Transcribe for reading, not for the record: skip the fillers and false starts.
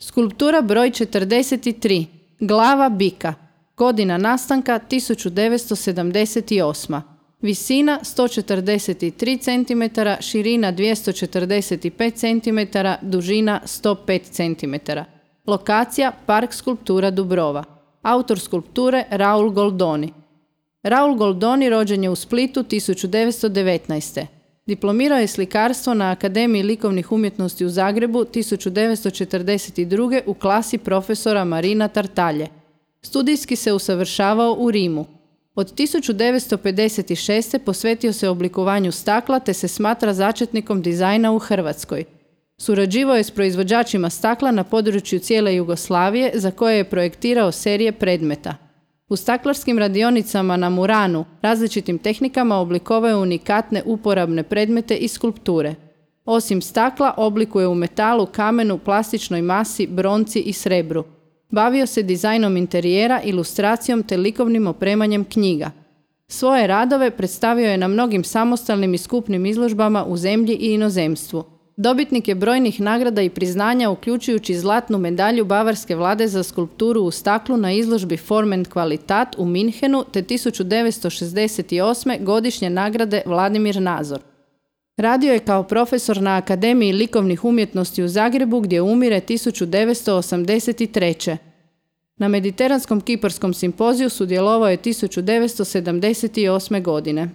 Skulptura broj 43. Glava bika. Godina nastanka 1978. Visina 143 cm, širina 245 cm, dužina 105 cm. Lokacija Park skulptura Dubrova. Autor skulpture Raul Goldoni. Raul Goldoni rođen je u Splitu 1919. Diplomirao je slikarstvo na Akademiji likovnih umjetnosti u Zagrebu 1942. u klasi profesora Marina Tartalje. Studijski se usavršavao u Rimu. Od 1956. posvetio se oblikovanju stakla te se smatra začetnikom dizajna u Hrvatskoj. Surađivao je s proizvođačima stakla na području cijele Jugoslavije za koje je projektirao serije predmeta. U staklarskim radionicama na Muranu različitim tehnikama oblikovao je unikatne uporabne predmete i skulpture. Osim stakla oblikuje u metalu, kamenu, plastičnoj masi, bronci i srebru. Bavio se dizajnom interijera, ilustracijom te likovnim opremanjem knjiga. Svoje radove predstavio je na mnogim samostalnim i skupnim izložbama u zemlji i inozemstvu. Dobitnik je brojnih nagrada i priznanja uključujući zlatnu medalju Bavarske vlade za skulpturu u staklu na izložbi Form and Qualitat u Minhenu te 1968. godišnje nagrade Vladimir Nazor. Radio je kao profesor na Akademiji likovnih umjetnosti u Zagrebu gdje umire 1983. Na Mediteranskom kiparskom simpoziju sudjelovao je 1978. godine.